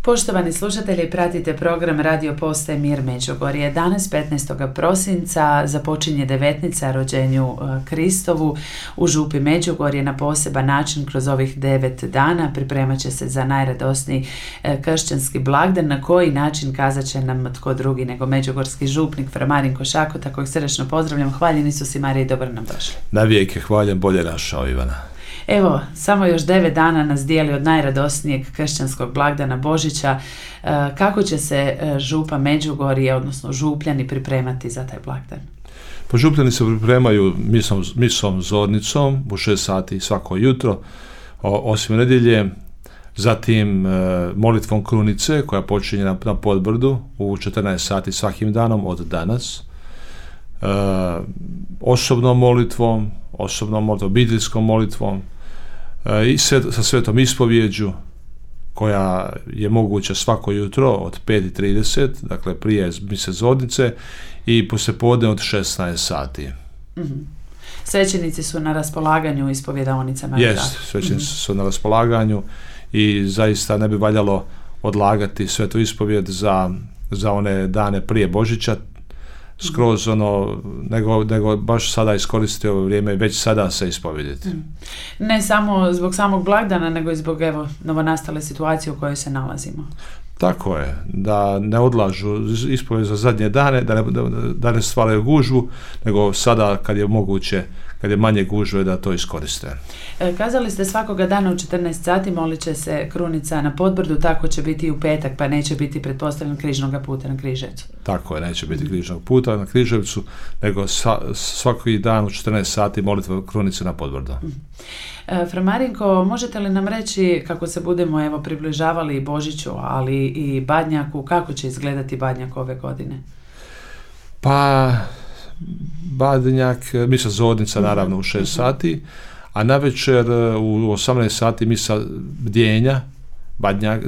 Poštovani slušatelji, pratite program Radio Postaje Mir Međugorje. Danas 15. prosinca započinje devetnica rođenju Kristovu u župi Međugorje na poseban način. Kroz ovih 9 dana pripremat će se za najradosniji kršćanski blagdan. Na koji način kazat će nam tko drugi nego međugorski župnik Fra Marinko Šakota, kojeg srdačno pozdravljam. Hvaljen Isus i Marija i dobro nam došli. Na vijeke hvaljen, bolje našao Ivana. Evo, samo još 9 dana nas dijeli od najradosnijeg kršćanskog blagdana Božića. Kako će se župa Međugorje, odnosno župljani, pripremati za taj blagdan? Pa župljani se pripremaju misom zornicom u 6 sati svako jutro, osim nedjelje, zatim molitvom krunice koja počinje na Podbrdu u 14 sati svakim danom od danas, osobnom molitvom, obiteljskom molitvom i sa svetom ispovjeđu koja je moguća svako jutro od 5:30, dakle prije mise zornice, i poslijepodne od 16 sati. Mm-hmm. Svećenici su na raspolaganju u ispovjedaonicama? Jest, svećenici su na raspolaganju i zaista ne bi valjalo odlagati svetu ispovjed za one dane prije Božića, skroz nego baš sada iskoristiti ovo vrijeme i već sada se ispovjediti. Ne samo zbog samog blagdana, nego i zbog novonastale situacije u kojoj se nalazimo. Tako je, da ne odlažu ispovjed za zadnje dane, da ne stvaraju gužvu, nego sada kad je moguće, kad je manje gužve, da to iskoriste. Kazali ste svakoga dana u 14 sati molit će se krunica na Podbrdu, tako će biti i u petak, pa neće biti pretpostavljen križnoga puta na Križevcu. Tako je, neće biti križnog puta na Križevcu, nego svaki dan u 14 sati molitva krunice na Podbrdu. Fra Marinko, možete li nam reći kako se budemo približavali Božiću, ali i Badnjaku, kako će izgledati Badnjak ove godine? Pa Badnjak, misa zornica naravno u 6 sati, a navečer u 18 sati misa bdjenja,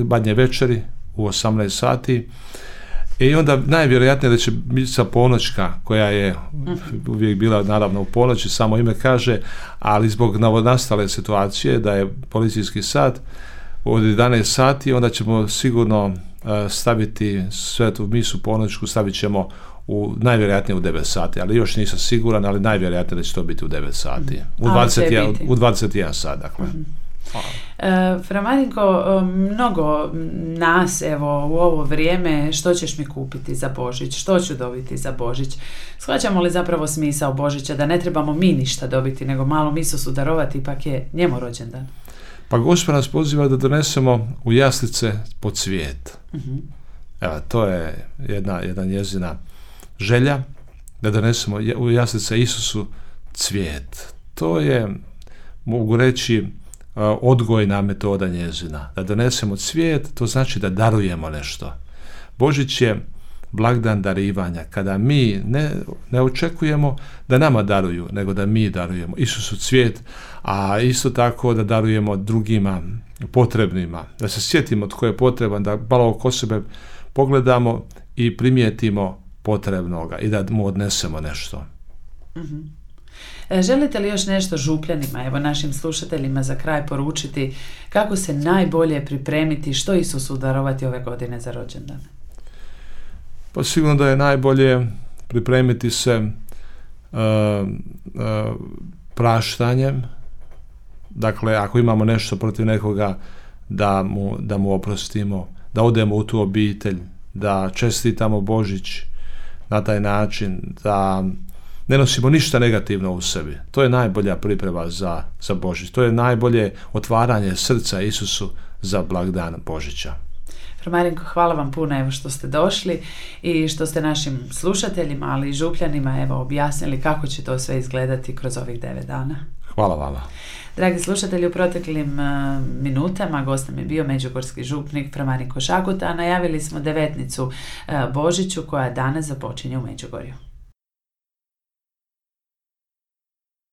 Badnje večeri u 18 sati. I onda najvjerojatnije da će misa ponoćka, koja je uvijek bila naravno u ponoći, samo ime kaže, ali zbog novonastale situacije da je policijski sat od 11 sati, onda ćemo sigurno staviti svetu misu ponoćku, stavit ćemo najvjerojatnije u 9 sati, ali još nisam siguran, ali najvjerojatnije da će to biti u 9 sati. U 21 sat, dakle. Fra Marinko, mnogo nas u ovo vrijeme, što ćeš mi kupiti za Božić, što ću dobiti za Božić? Shvaćamo li zapravo smisao Božića, da ne trebamo mi ništa dobiti, nego malom Isusu darovati, ipak je njemu rođendan? Pa Gospod nas poziva da donesemo u jaslice po cvijet. Evo, to je jedna njezina želja, da donesemo u jaslice Isusu cvijet. To je, mogu reći, odgojna metoda njezina. Da donesemo cvijet, to znači da darujemo nešto. Božić je blagdan darivanja, kada mi ne očekujemo da nama daruju, nego da mi darujemo Isusu cvijet, a isto tako da darujemo drugima potrebnima. Da se sjetimo tko je potreban, da malo oko sebe pogledamo i primijetimo potrebnoga i da mu odnesemo nešto. Želite li još nešto župljanima, našim slušateljima za kraj poručiti kako se najbolje pripremiti, što Isusu darovati ove godine za rođendan? Pa sigurno da je najbolje pripremiti se praštanjem. Dakle, ako imamo nešto protiv nekoga, da mu oprostimo, da odemo u tu obitelj, da čestitamo Božić na taj način, da ne nosimo ništa negativno u sebi. To je najbolja priprema za Božić. To je najbolje otvaranje srca Isusu za blagdan Božića. Fra Marinko, hvala vam puno što ste došli i što ste našim slušateljima, ali i župljanima objasnili kako će to sve izgledati kroz ovih 9 dana. Hvala vama. Dragi slušatelji, u proteklim minutama gost nam je bio međugorski župnik Fra Marinko Šakota, a najavili smo devetnicu Božiću koja danas započinje u Međugorju.